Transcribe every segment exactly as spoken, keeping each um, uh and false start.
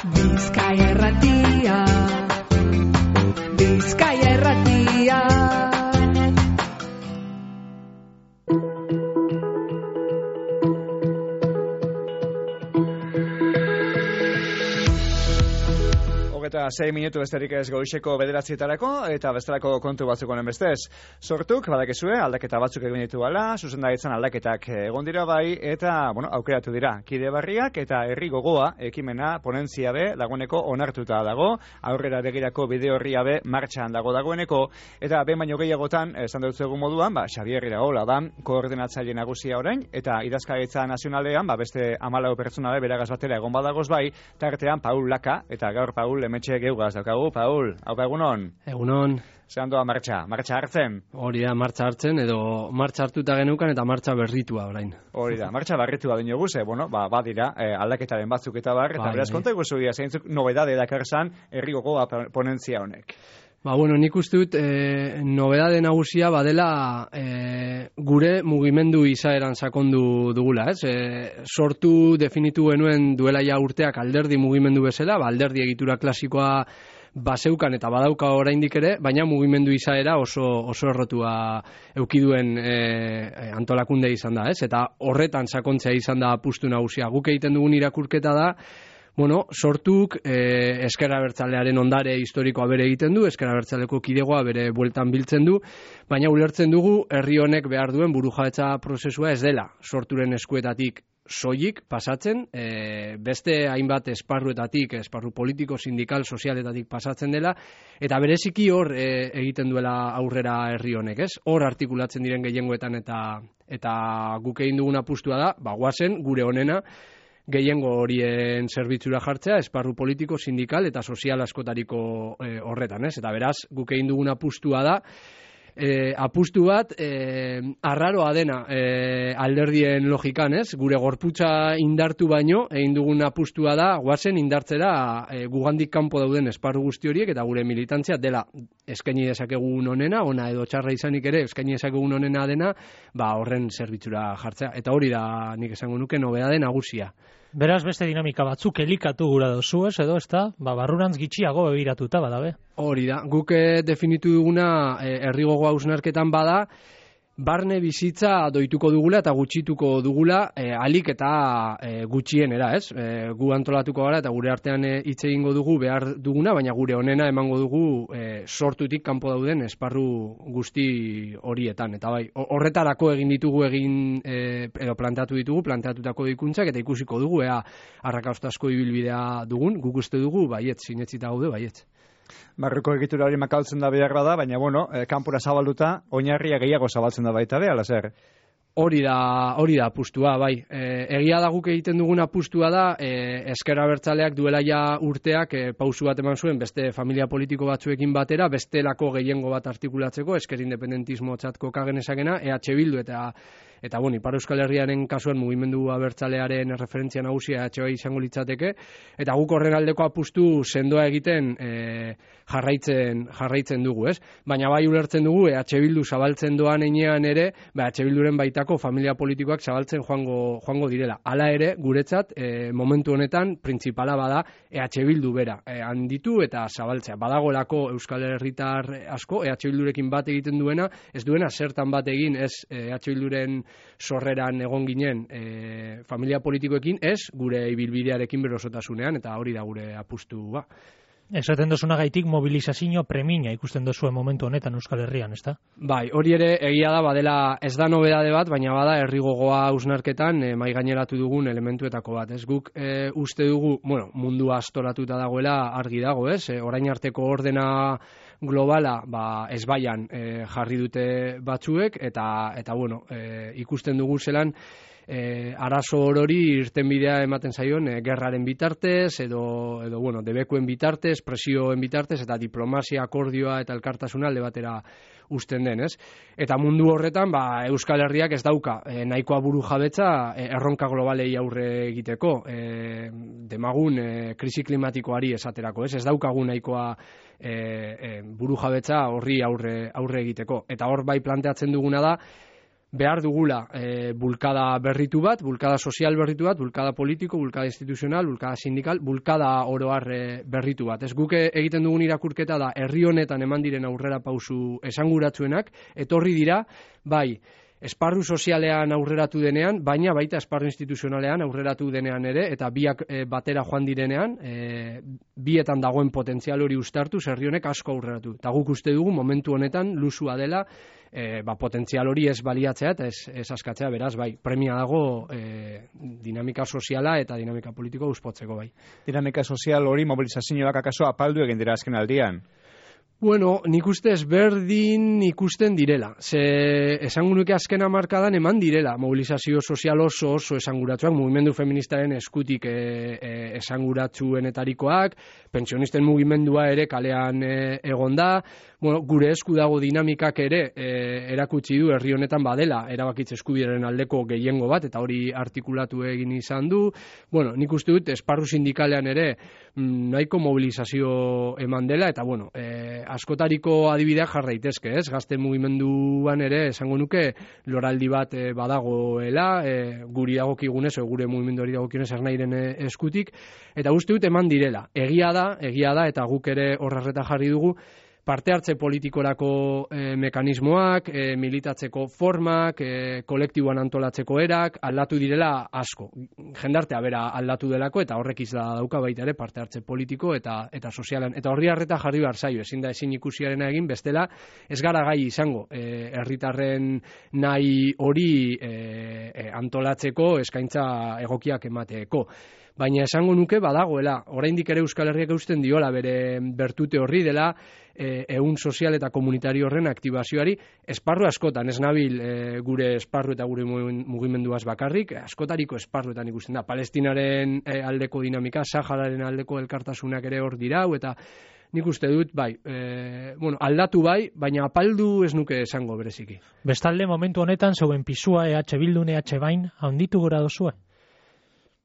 Bizkaia Irratia, Bizkaia Irratia. Eta sei minutu besterik ez goizeko bederatzietarako eta bestelako kontu batzuk honen bestez. Sortuk, badakizue, aldaketa batzuk egin ditu ala, zuzendaritzan aldaketak egon dira bai, eta, bueno, aukeratu dira. Kide berriak eta herri gogoa ekimena ponentzia be laguneko onartuta dago, aurrera begirako bide horria be martxan dago dagoeneko, eta behin baino gehiagotan, esan dut egun moduan, ba, Xabier Iraola da, koordinatzaile nagusia orain, eta idazkaritza nazionalean, ba, beste hamalau pertsona be beragaz batera egon badagoz bai, tartean Paul Laka, eta gaur Paul Hemetxe geugaz daukagu. Paul, haupa egunon? Egunon. Zeran doa martxa, martxa hartzen? Hori da, martxa hartzen, edo martxa hartuta genukan eta martxa berritua orain. Hori da, martxa berritua dino guze, bueno, ba, badira, eh, aldaketaren batzuk eta bar, eta bai, beraz bai. konta eguzuia, zeintzuk nobedade dakarzan herri gogoa ponentzia honek. Ba, bueno, nik uste dut e, nobedade nagusia badela e, gure mugimendu izaeran sakondu dugula, ez? E, sortu definitu genuen duela ja urteak alderdi mugimendu bezala, ba, alderdi egitura klasikoa baseukan eta badauka oraindik ere, baina mugimendu izaera oso oso errotua eukiduen e, antolakunde izan da, ez? Eta horretan sakontzea izan da apustu nagusia. Guk egiten dugun irakurketa da, bueno, sortuk eh, Ezker Abertzalearen ondare historikoa bere egiten du, Ezker Abertzaleko kidegoa bere bueltan biltzen du, baina ulertzen dugu herri honek behar duen burujabetza prozesua ez dela sorturen eskuetatik soilik pasatzen, e, beste hainbat esparruetatik, esparru politiko, sindikal, sozialetatik pasatzen dela, eta bereziki hor e, egiten duela aurrera herri honek, ez? Hor artikulatzen diren gehiengoetan eta eta guk egin dugun apustua da, ba goazen gure honena gehiengo horien zerbitzura jartzea, esparru politiko, sindikal eta sozial askotariko e, horretan, ez? Eta beraz, guk egin dugun apustua da, e, apustu bat e, arraroa dena e, alderdien logikan, ez? Gure gorputza indartu baino, egin dugun apustua da, guazen indartzera e, gugandik kanpo dauden esparru guzti horiek, eta gure militantzia dela eskaini dezakegun onena, ona edo txarra izanik ere, eskaini dezakegun onena dena, ba horren zerbitzura jartzea. Eta hori da, nik esango nuke, nobedade nagusia. Beraz, beste dinamika batzuk elikatu gura dozu, ez, edo, ez da, ba, barrurantz gitxiago begiratuta badabe. Hori da, guk eh, definitu duguna eh, herri gogoa hausnarketan bada, barne bizitza doituko dugula eta gutxituko dugula eh, alik eta eh, gutxienera, ez? Eh, gu antolatuko gara eta gure artean hitz eh, egingo dugu behar duguna, baina gure onena emango dugu eh, sortutik kanpo dauden esparru guzti horietan. Eta bai, horretarako egin ditugu egin eh, edo planteatu ditugu, planteatutako dikuntzak eta ikusiko dugu ea arrakastasko ibilbidea dugun, guk uste dugu baietz, sinetzita gaude baietz. Barruko egitura hori makaltzen da behar bada, baina, bueno, eh, kanpora zabalduta, oinarria gehiago zabaltzen da baita be, ala zer? Hori da, hori da apustua, bai. E, egia da guk egiten dugun apustua da, e, Ezker Abertzaleak duela ja urteak e, pausu bat eman zuen beste familia politiko batzuekin batera, bestelako gehiengo bat artikulatzeko, Ezker Independentismo txatko kagenezakena, E H Bildu eta Eta, bueno, Ipar Euskal Herriaren kasuan mugimendu abertzalearen referentzia nagusia E H B izango litzateke, eta guk horren aldeko apustu sendoa egiten e, jarraitzen jarraitzen dugu, ez? Baina bai ulertzen dugu E H Bildu zabaltzen doan heinean ere, ba, E H Bilduren baitako familia politikoak zabaltzen joango joango direla. Hala ere, guretzat, e, momentu honetan, printzipala bada E H Bildu bera, e, handitu eta zabaltzea. Badagolako Euskal Herritar asko, E H Bildurekin bat egiten duena, ez duena zertan bat egin, ez E H Bilduren sorreran egon ginen e, familia politikoekin, ez gure ibilbidearekin berosotasunean, eta hori da gure apustu ba. Esaten dozunagaitik mobilizazio premina ikusten dozuen momentu honetan Euskal Herrian, ezta? Bai, hori ere egia da, badela ez da nobedade bat, baina bada herri gogoa hausnarketan e, mai gaineratu dugun elementuetako bat. Ez guk e, uste dugu, bueno, mundua astoratuta dagoela argi dago, ez? E, orain arteko ordena globala, ba, ezbaian e, jarri dute batzuek, eta, eta bueno, e, ikusten dugu zelan, E, arazo orori irtenbidea ematen zaion e, gerraren bitartez edo, edo bueno, debekuen bitartez, presioen bitartez eta diplomazia, akordioa eta elkartasuna alde batera uzten den, ez? Eta mundu horretan, ba, Euskal Herriak ez dauka e, nahikoa buru jabetza e, erronka globalei aurre egiteko, e, demagun e, krisi klimatikoari esaterako, ez? Ez daukagu nahikoa e, e, buru jabetza horri aurre, aurre egiteko. Eta hor bai planteatzen duguna da, behar dugula e, bulkada berritu bat, bulkada sozial berritu bat, bulkada politiko, bulkada instituzional, bulkada sindikal, bulkada oroar e, berritu bat. Ez guke egiten dugun irakurketa da herri honetan eman diren aurrera pausu esanguratsuenak, etorri dira, bai, esparru sozialean aurreratu denean, baina baita esparru instituzionalean aurreratu denean ere, eta biak e, batera joan direnean, e, bietan dagoen potentzial hori ustartu, herri honek asko aurreratu. Eta guk uste dugu momentu honetan lusua dela, e, ba, potentzial hori ez baliatzea eta ez, ez askatzea, beraz, bai, premia dago e, dinamika soziala eta dinamika politiko uspotzeko, bai. Dinamika sozial hori mobilizazioak akaso apaldu egin dira azken aldian. Bueno, nik uste ezberdin ikusten direla. Ze esango nuke azken hamarkadan eman direla mobilizazio sozial oso oso esanguratsuak, mugimendu feministaren eskutik e, e, esanguratsuenetarikoak, pentsionisten mugimendua ere kalean e, egon da, bueno, gure esku dago dinamikak ere e, erakutsi du herri honetan badela erabakitze eskubideren aldeko gehiengo bat, eta hori artikulatu egin izan du. Bueno, nik uste dut esparru sindikalean ere nahiko mobilizazio eman dela, eta bueno, e, askotariko adibideak jar daitezke, ez? Gazte mugimenduan ere esango nuke loraldi bat e, badagoela, e, guri dagokigunez, o gure mugimenduari dagokionez ernairen eskutik, eta uste dut eman direla. Egia da, egia da, eta guk ere horrerreta jarri dugu, parte hartze politikorako e, mekanismoak, e, militatzeko formak, e, kolektiboan antolatzeko erak, aldatu direla asko. Jendartea bera aldatu delako, eta horrek izla dauka baita ere parte hartze politiko eta eta sozialan. Eta horri harreta jarri behar zaio, ezin da ezin ikusiarena egin, bestela ez gara gai izango e, herritarren nahi hori e, e, antolatzeko eskaintza egokiak emateeko. Baina esango nuke badagoela, oraindik ere Euskal Herriak eusten diola bere bertute horri dela, e, ehun sozial eta komunitario horren aktibazioari, esparru askotan, ez nabil e, gure esparru eta gure mugimenduaz bakarrik, askotariko esparruetan ikusten da, Palestinaren e, aldeko dinamika, Sahararen aldeko elkartasunak ere hor dirau, eta nik uste dut, bai, e, bueno, aldatu bai, baina apaldu ez nuke esango bereziki. Bestalde, momentu honetan, zeuen pisua E H Bildun, E H Bain, handitu gora dozue?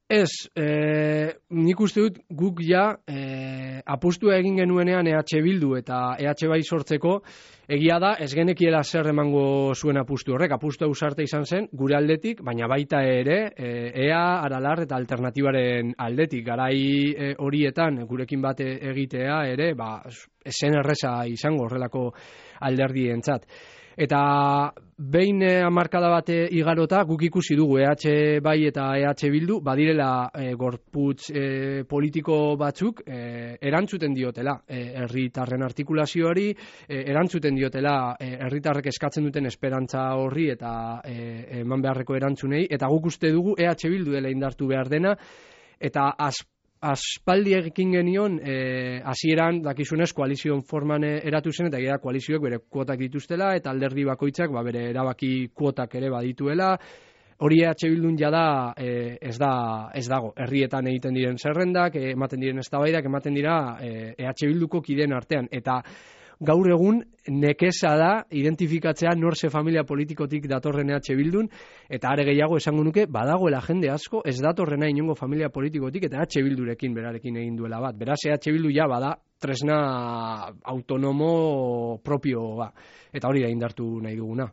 Ez, e, nik uste dut guk ja e, apustua egin genuenean E H Bildu eta E H Bai sortzeko, egia da ez genekiela zer emango zuen apustu horrek, apustu ausarte izan zen gure aldetik, baina baita ere e, Ea, Aralar eta alternatibaren aldetik, garai e, horietan gurekin bat egitea ere, ba, esen erreza izango horrelako alderdientzat. Eta behin hamarkada bate igarota guk ikusi dugu E H Bai eta E H Bildu badirela e, gorputz e, politiko batzuk e, erantzuten diotela herritarren e, artikulazioari, e, erantzuten diotela herritarrek e, eskatzen duten esperantza horri eta e, eman beharreko erantzunei, eta guk uste dugu E H Bildu dela indartu behar dena, eta az aspaldi ekin genion, hasieran, e, dakizunez, koalizion forman eratu zen, eta gira koalizioek bere kuotak dituztela, eta alderdi bakoitzak ba, bere erabaki kuotak ere badituela. Hori E H Bildun jada e, ez, da, ez dago. Herrietan egiten diren zerrendak, e, ematen diren eztabaidak, ematen dira e, E H Bilduko kideen artean. Eta gaur egun nekeza da identifikatzea norze familia politikotik datorren E H Bildun, eta are gehiago esango nuke badagoela jende asko ez datorrena inongo familia politikotik eta E H Bildurekin berarekin egin duela bat. Beraz E H Bildu ja bada tresna autonomo propioa, eta hori da indartu nahi duguna.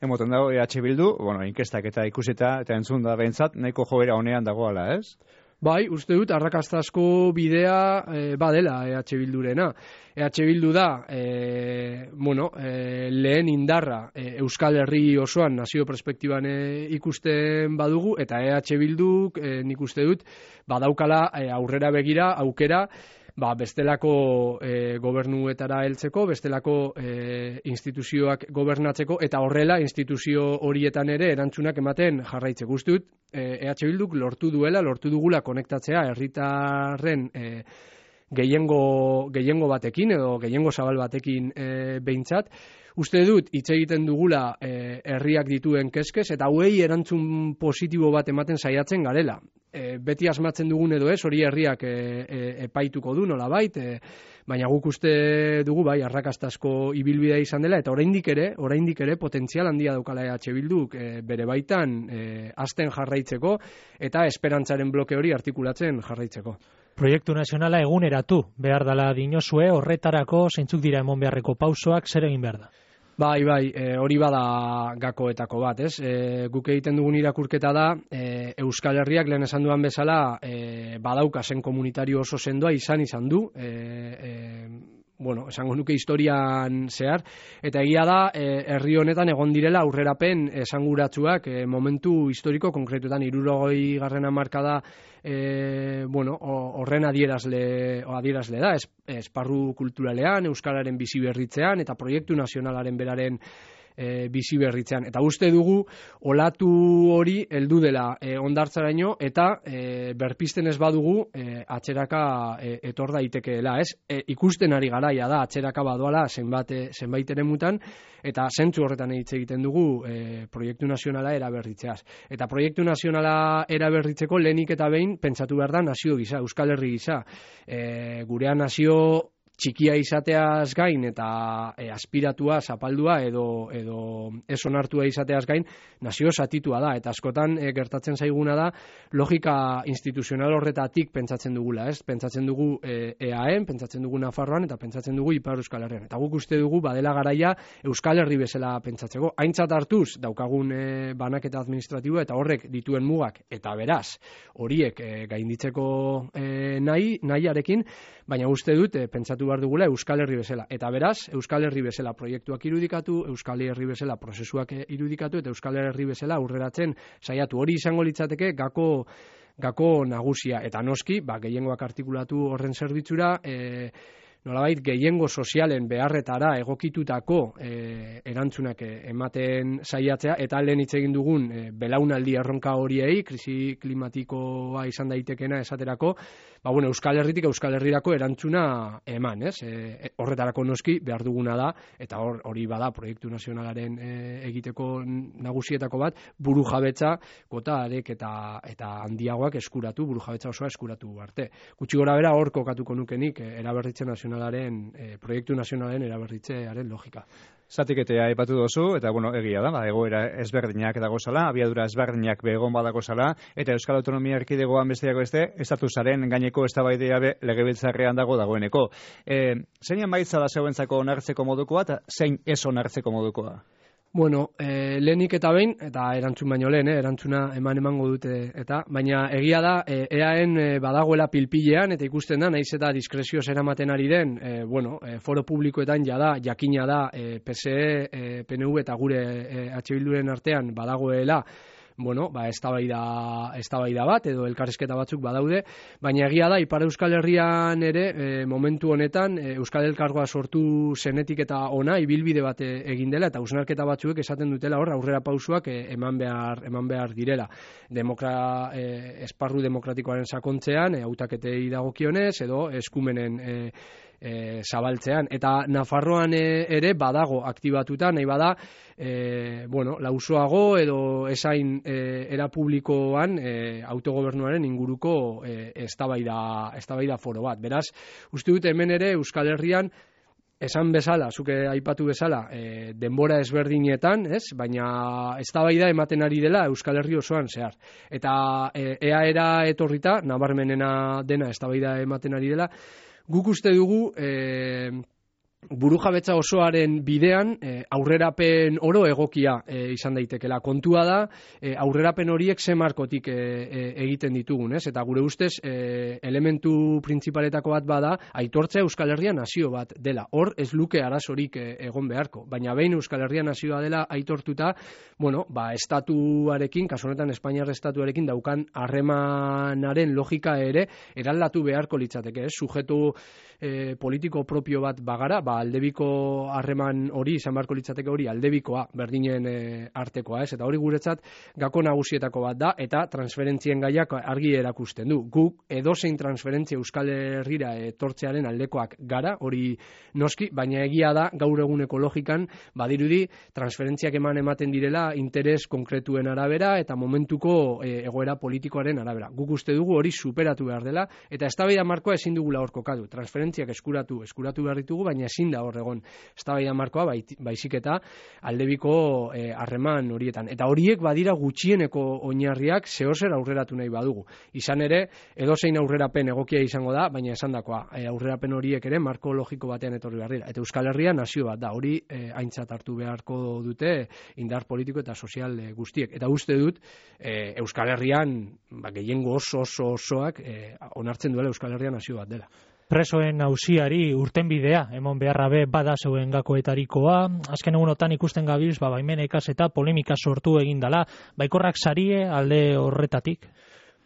Emoten dago E H Bildu, bueno, inkestak eta ikusita eta entzun da behintzat, nahiko joera honean dagoala, ez? Bai, uste dut, arrakastazko bidea e, badela E H Bildurena. E H Bildu da, e, bueno, e, lehen indarra e, Euskal Herri osoan nazio perspektiban e, ikusten badugu, eta E H Bilduk, e, nik uste dut, badaukala e, aurrera begira, aukera, ba, bestelako e, gobernuetara heltzeko, bestelako e, instituzioak gobernatzeko, eta horrela instituzio horietan ere erantzunak ematen jarraitzeko. Uste dut, e, E H Bilduk lortu duela, lortu dugula konektatzea herritarren e, gehiengo, gehiengo batekin, edo gehiengo zabal batekin e, behintzat. Uste dut, hitz egiten dugula e, herriak dituen keskez, eta hauei erantzun positibo bat ematen saiatzen garela. E, beti asmatzen dugun edo ez, hori herriak e, e, epaituko du nolabait, e, baina guk uste dugu bai arrakastazko ibilbidea izan dela, eta oraindik ere, oraindik ere potentzial handia daukala E H Bilduk e, bere baitan e, hasten jarraitzeko eta esperantzaren bloke hori artikulatzen jarraitzeko. Proiektu nazionala eguneratu behar dela dinozue, horretarako zeintzuk dira emon beharreko pausoak, zer egin behar da? Bai, bai, e, hori bada gakoetako bat, ez? E, guk egiten dugun irakurketa da, e, Euskal Herriak lehen esan duan bezala, e, badauka zen komunitario oso sendoa izan izan du, e, e, bueno, esango nuke historian zehar, eta egia da, e, herri honetan egon direla aurrerapen esanguratsuak e, momentu historiko konkretuetan, hirurogei garren hamarkada E, bueno, horren adierazle, adierazle da, es, esparru kulturalean, euskararen bizi berritzean eta proiektu nazionalaren beraren e, bizi berritzean. Eta uste dugu, olatu hori heldu dela e, ondartzaraino eta e, berpisten ez badugu e, atzeraka e, etor daitekeela, ez? E, ikusten ari garaia da, atzeraka badoala zenbait, zenbait eremutan, eta zentzu horretan hitz egiten dugu e, proiektu nazionala eraberritzeaz. Eta proiektu nazionala eraberritzeko lehenik eta behin pentsatu behar da nazio gisa, Euskal Herri gisa. E, gurea nazio txikia izateaz gain eta e, aspiratua, zapaldua edo, edo ez onartua izateaz gain nazio zatitua da. Eta askotan e, gertatzen zaiguna da logika instituzional horretatik pentsatzen dugula, ez? Pentsatzen dugu e, E A N, pentsatzen dugu Nafarroan eta pentsatzen dugu Ipar Euskal Herrian. Eta guk uste dugu badela garaia Euskal Herri bezala pentsatzeko. Aintzat hartuz daukagun e, banaketa administratiboa eta horrek dituen mugak eta beraz horiek e, gainditzeko e, nahi, nahiarekin, baina uste dut e, pentsatu behar dugula Euskal Herri bezala. Eta beraz, Euskal Herri bezala proiektuak irudikatu, Euskal Herri bezala prozesuak irudikatu eta Euskal Herri bezala aurreratzen saiatu. Hori izango litzateke gako gako nagusia. Eta noski, ba, gehiengoak artikulatu horren zerbitzura, e, nolabait gehiengo sozialen beharretara egokitutako e, erantzunak ematen saiatzea, eta lehen hitz egin dugun e, belaunaldi erronka horiei, krisi klimatikoa izan daitekena esaterako, ba, bueno, Euskal Herritik Euskal Herrirako erantzuna eman, ez? E, horretarako noski behar duguna da, eta hor, hori bada proiektu nazionalaren e, egiteko nagusietako bat, buru jabetza gota arek eta, eta handiagoak eskuratu, buru jabetza osoa eskuratu arte. Gutxi gora bera hor kokatuko nukenik e, eraberritze nazionalaren, e, proiektu nazionalaren eraberritzearen logika. Zatiketea aipatu dozu, eta bueno, egia da, ba, egoera ezberdinak dagozala, abiadura ezberdinak begon badagozala, eta Euskal Autonomia Erkidegoan besteako beste, estatusaren gaineko eztabaidea be legebiltzarrean dago dagoeneko. E, zein emaitza da zeuentzako onartzeko modukoa, eta zein ez onartzeko modukoa? Bueno, e, lehenik eta behin, eta erantzun baino lehen, eh, erantzuna eman emango dute, eta baina egia da, e, E A N e, badagoela pilpilean, eta ikusten da, naiz eta diskrezioz eramaten ari den, e, bueno, e, foro publikoetan jada, jakina da, e, P S E, e, P N V eta gure e, H Bilduren artean badagoela, bueno, ba, eztabaida, eztabaida bat edo elkarrizketa batzuk badaude, baina egia da Ipar Euskal Herrian ere e, momentu honetan e, Euskal Elkargoa sortu zenetik eta ona ibilbide bat e, egin dela eta hausnarketa batzuek esaten dutela hor aurrera pausuak e, eman behar eman behar direla. Demokra, e, esparru demokratikoaren sakontzean, e, hautaketei dagokionez edo eskumenen e, E, zabaltzean, eta Nafarroan e, ere badago aktibatuta, nahi bada e, bueno, lausoago edo esain e, era publikoan e, autogobernuaren inguruko e, eztabaida eztabaida foro bat. Beraz, uste dut hemen ere Euskal Herrian esan bezala, zuke aipatu bezala, e, denbora ezberdinetan, ez? Baina eztabaida ematen ari dela Euskal Herri osoan zehar. Eta e, ea era etorrita, nabarmenena dena eztabaida ematen ari dela, guk uste dugu e, burujabetza osoaren bidean e, aurrerapen oro egokia e, izan daitekela. Kontua da e, aurrerapen horiek ze markotik e, e, egiten ditugun, ez? Eta gure ustez e, elementu printzipaletako bat bada aitortzea Euskal Herria nazio bat dela. Hor ez luke arazorik e, egon beharko, baina behin Euskal Herria nazioa dela aitortuta, bueno, ba estatuarekin, kasu honetan Espainiar estatuarekin daukan harremanaren logika ere eraldatu beharko litzateke, ez? Sujetu e, politiko propio bat bagara, ba aldebiko harreman hori izan beharko litzateke hori aldebikoa berdinen e, artekoa, ez? Eta hori guretzat gako nagusietako bat da eta transferentzien gaiak argi erakusten du. Guk edozein transferentzia Euskal Herrira etortzearen aldekoak gara, hori noski, baina egia da gaur eguneko logikan badirudi transferentziak eman ematen direla interes konkretuen arabera eta momentuko e, egoera politikoaren arabera. Guk uste dugu hori superatu behar dela eta eztabaida markoa ezin dugula hor kokatu. Transferentziak eskuratu, eskuratu behar ditugu, baina ezin ezin da hor egon eztabaida markoa baizik eta aldebiko harreman horietan. Eta horiek badira gutxieneko oinarriak zehozer aurreratu nahi badugu. Izan ere, edozein aurrerapen egokia izango da, baina esandakoa, aurrerapen horiek ere marko logiko batean etorri behar dira. Eta Euskal Herria nazio bat da, hori aintzat hartu beharko dute indar politiko eta sozial guztiek. Eta uste dut, Euskal Herrian, gehiengo oso oso osoak onartzen duela Euskal Herria nazio bat dela. Presoen auziari urtenbidea, emon beharra be bada zeuen gakoetarikoa, azken egunotan ikusten gabiz, ba, baimenekaz eta polemika sortu egin dala, baikorrak sarie alde horretatik?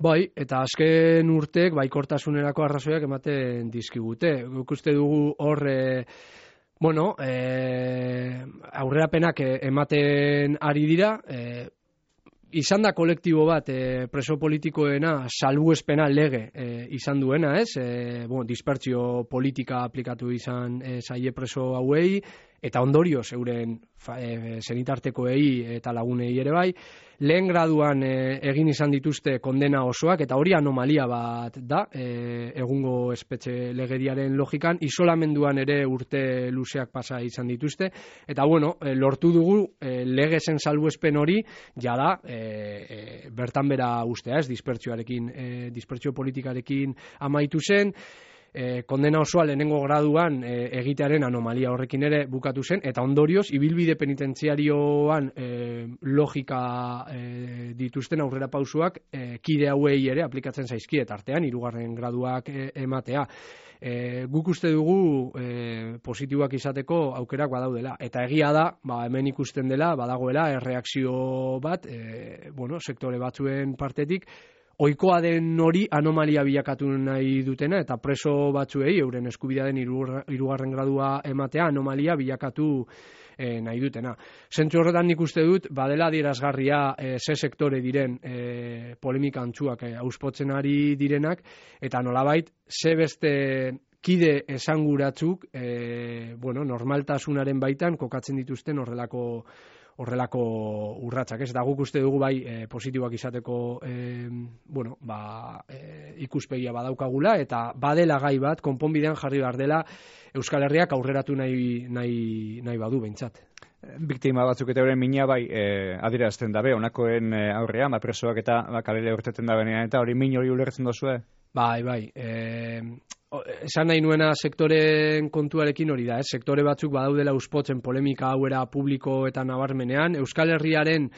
Bai, eta azken urtek baikortasunerako arrazoiak ematen dizkigute. Guk uste dugu hor, e, bueno, e, aurrerapenak ematen ari dira, e, izan da kolektibo bat e, preso politikoena salbuespena lege e, izan duena, ez? E, bueno, dispertsio politika aplikatu izan e, zaie preso hauei, eta ondorioz euren e, senitartekoei eta lagunei ere bai. Lehen graduan e, egin izan dituzte kondena osoak, eta hori anomalia bat da, e, egungo espetxe legediaren logikan, isolamenduan ere urte luzeak pasa izan dituzte, eta bueno, e, lortu dugu e, legezen salbuespen hori, jada, e, e, bertan bera ustea, ez, dispertsioarekin, e, dispertsio politikarekin amaitu zen, E, kondena osoa lehenengo graduan e, egitearen anomalia horrekin ere bukatu zen, eta ondorioz, ibilbide penitentziarioan e, logika e, dituzten aurrera pausuak e, kide hauei ere aplikatzen zaizkie, eta artean, hirugarren graduak e, ematea. E, guk uste dugu e, positiboak izateko aukerak badaudela, eta egia da, ba, hemen ikusten dela, badagoela, erreakzio bat, e, bueno, sektore batzuen partetik, ohikoa den hori anomalia bilakatu nahi dutena, eta preso batzuei euren eskubidea den hirugarren gradua ematea anomalia bilakatu e, nahi dutena. Zentzu horretan nik uste dut, badela adierazgarria e, ze sektore diren e, polemika antzuak e, auspotzen ari direnak, eta nolabait, ze beste kide esanguratzuk e, bueno, normaltasunaren baitan kokatzen dituzten horrelako horrelako urratsak, ez da guk uste dugu bai e, positiboak izateko e, bueno, ba, e, ikuspegia badaukagula, eta badela gai bat, konponbidean jarri behar dela Euskal Herriak aurreratu nahi, nahi, nahi badu behintzat. Biktima batzuk eta euren mina bai e, adierazten dabe, honakoen e, aurrean, ba, presoak eta ba, kalele urteten da benean, eta hori min hori ulertzen dozue? Bai, bai, e, esan nahi nuena sektoren kontuarekin hori da, eh? Sektore batzuk badaudela uspotzen polemika hauera publiko eta nabarmenean, Euskal Herriaren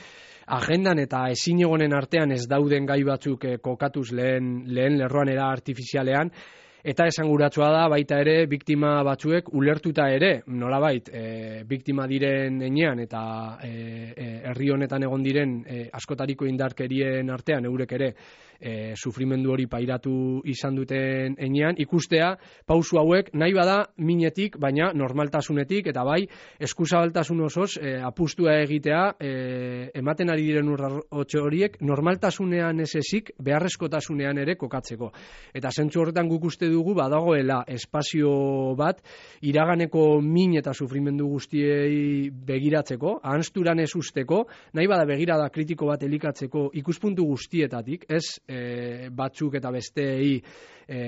agendan eta ezin egonen artean ez dauden gai batzuk eh, kokatuz lehen, lehen lerroan era artifizialean, eta esanguratsua da baita ere biktima batzuek ulertuta ere, nolabait, e, biktima diren enean eta e, e, herri honetan egon diren e, askotariko indarkerien artean eurek ere e, sufrimendu hori pairatu izan duten enean, ikustea pausu hauek nahi bada minetik, baina normaltasunetik, eta bai eskuzabaltasun osoz e, apustua egitea e, ematen ari diren urratxo horiek normaltasunean ez ezik beharrezkotasunean ere kokatzeko. Eta zentzu horretan guk uste dugu badagoela espazio bat iraganeko min eta sufrimendu guztiei begiratzeko, ahanzturan ez usteko, nahi bada begirada kritiko bat elikatzeko ikuspuntu guztietatik, ez e, batzuk eta besteei e,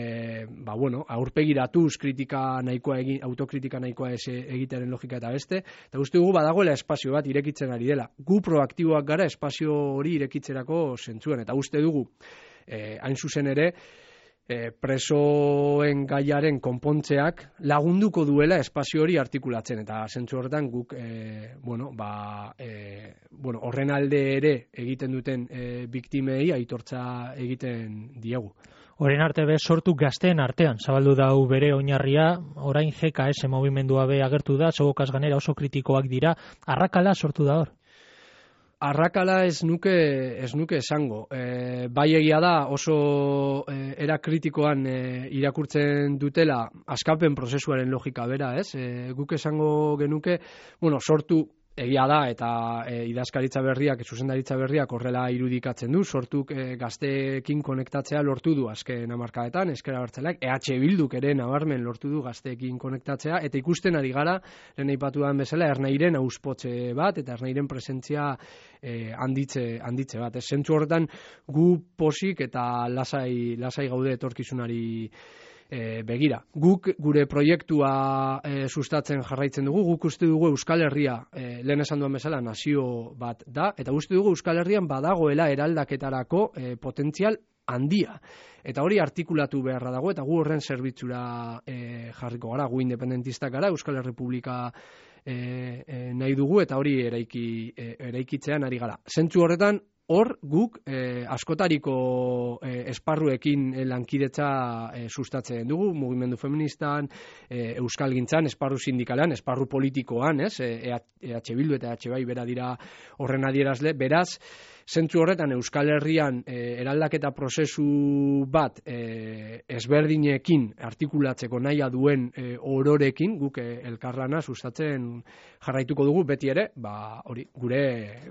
ba bueno, aurpegiratuz kritika nahikoa egin, autokritika nahikoa ez egitearen logika eta beste, eta uste dugu badagoela espazio bat irekitzen ari dela. Gu proaktiboak gara espazio hori irekitzerako zentzuan, eta uste dugu e, hain zuzen ere E, presoen gaiaren konpontzeak lagunduko duela espazio hori artikulatzen, eta zentzu horretan guk e, bueno, ba, e, bueno, horren alde ere egiten duten e, biktimei aitortza egiten diegu. Horren arte be sortu gazteen artean, zabaldu dau bere oinarria, orain G K S mugimendua be agertu da, segokaz ganera oso kritikoak dira, arrakala sortu da hor? Arrakala ez nuke ez nuke esango. E, bai egia da oso e, era kritikoan e, irakurtzen dutela askapen prozesuaren logika bera, ez? E, guk esango genuke, bueno, sortu egia da, eta e, idazkaritza berriak, zuzendaritza berriak horrela irudikatzen du, sortuk e, gazteekin konektatzea lortu du azken hamarkadetan, ezker abertzaleak, E H Bilduk ere nabarmen lortu du gazteekin konektatzea, eta ikusten ari gara, lehen aipatu den bezala, Ernairen auspotze bat, eta Ernairen presentzia e, handitze, handitze bat. Ez zentzu horretan gu posik eta lasai, lasai gaude etorkizunari E, begira, guk gure proiektua e, sustatzen jarraitzen dugu, guk uste dugu Euskal Herria, e, lehen esan duen bezala, nazio bat da, eta uste dugu Euskal Herrian badagoela eraldaketarako e, potentzial handia. Eta hori artikulatu beharra dago, eta gu horren zerbitzura e, jarriko gara, gu independentistak gara, Euskal Herrepublika e, e, nahi dugu, eta hori eraiki, e, eraikitzean ari gara. Zentzu horretan, hor guk eh, askotariko eh, esparruekin eh, lankidetza eh, sustatzen dugu, mugimendu feministan, eh, euskalgintzan, esparru sindikalan, esparru politikoan, ez? E H Bildu eta E H bai bera dira horren adierazle, beraz, zentzu horretan Euskal Herrian eh, eraldaketa prozesu bat eh, ezberdinekin artikulatzeko nahia duen eh, ororekin, guk eh, elkarlana sustatzen jarraituko dugu beti ere, ba, hori, gure,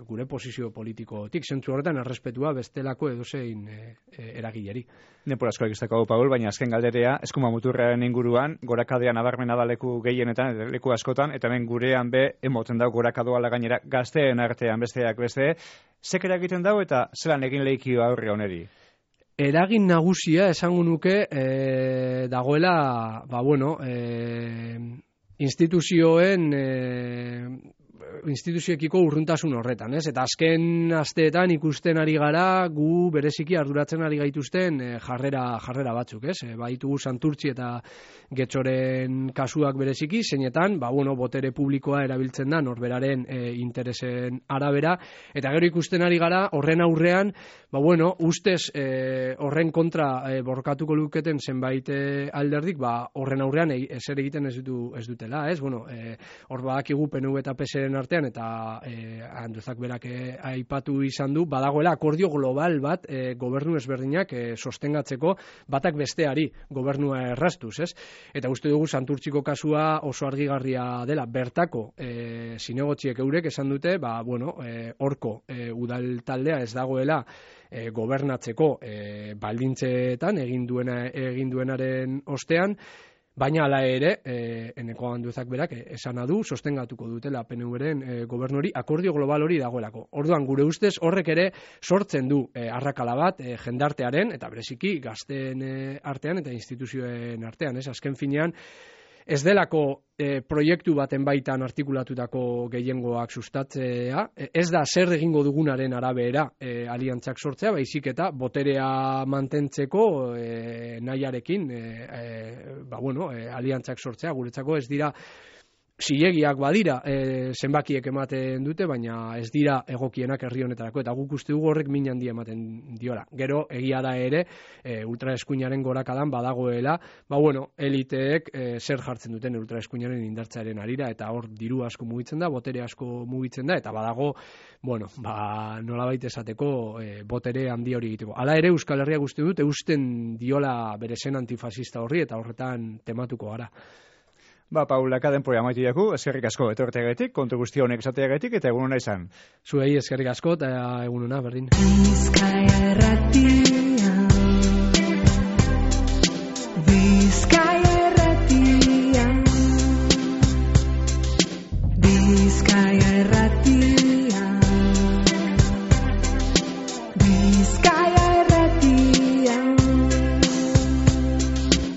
gure posizio politikotik, zentzu horretan errespetua bestelako edozein e, e, eragileri. Nepor asko egizteko hau, Paul, baina azken galderea, eskuma muturraren inguruan, gorakadean abarmena da leku gehienetan, leku askotan, eta hemen gurean be, emoten dau gorakadoa gainera gazteen artean besteak beste, zekera egiten dau eta zelan egin lehikio aurre oneri? Eragin nagusia esango nuke e, dagoela, ba bueno, e, instituzioen e, instituzioekiko urruntasun horretan, ez? Eta azken asteetan ikusten ari gara gu bereziki arduratzen ari gaituzten e, jarrera jarrera batzuk, ez? E, baitugu Santurtzi eta Getxoren kasuak bereziki, zeinetan, ba bueno, botere publikoa erabiltzen da norberaren e, interesen arabera, eta gero ikusten ari gara horren aurrean, ba bueno, ustez e, horren kontra e, borrokatuko luketen zenbait e, alderdik, ba horren aurrean e, ezer egiten ez du ez dutela, ez? Bueno, e, hor badakigu P N V eta P S R-en artean eta e, Andrezak berak e, aipatu izan du, badagoela akordio global bat e, gobernu ezberdinak e, sostengatzeko batak besteari gobernua erraztuz, ez? Eta uste dugu Santurtziko kasua oso argigarria dela, bertako e, zinegotziek eurek esan dute, ba, bueno, e, horko e, udal taldea ez dagoela e, gobernatzeko e, baldintzetan egin duena egin duenaren ostean, baina hala ere, e, Eneko Anduezak berak esana du, sostengatuko dutela P N V-ren e, gobernuri, akordio global hori dagoelako. Orduan, gure ustez, horrek ere sortzen du e, arrakala bat e, jendartearen, eta bereziki gazteen e, artean eta instituzioen artean, ez? Azken finean, ez delako e, proiektu baten baitan artikulatutako gehiengoak sustatzea, e, ez da zer egingo dugunaren arabera e, aliantzak sortzea, baizik eta boterea mantentzeko e, nahiarekin e, e, ba, bueno, e, aliantzak sortzea, guretzako ez dira zilegiak badira, e, zenbakiek ematen dute, baina ez dira egokienak herri honetarako, eta guk uste dugu horrek min handia ematen diola. Gero, egia da ere, e, ultraeskuinaren gorakadan badagoela, ba bueno, eliteek e, zer jartzen duten ultraeskuinaren indartzearen arira, eta hor diru asko mugitzen da, botere asko mugitzen da, eta badago, bueno, ba, nolabait esateko e, botere handi hori egiteko. Hala ere, Euskal Herria uste dut, eusten diola bere zen antifasista horri, eta horretan tematuko gara. Ba, Paul, akaden poia maitu jaku, eskerrik asko etorteagatik, kontu guzti honek esateagatik, eta egun hona izan. Zuei eskerrik asko, eta egun hona, berdin. Bizkaia Erratia.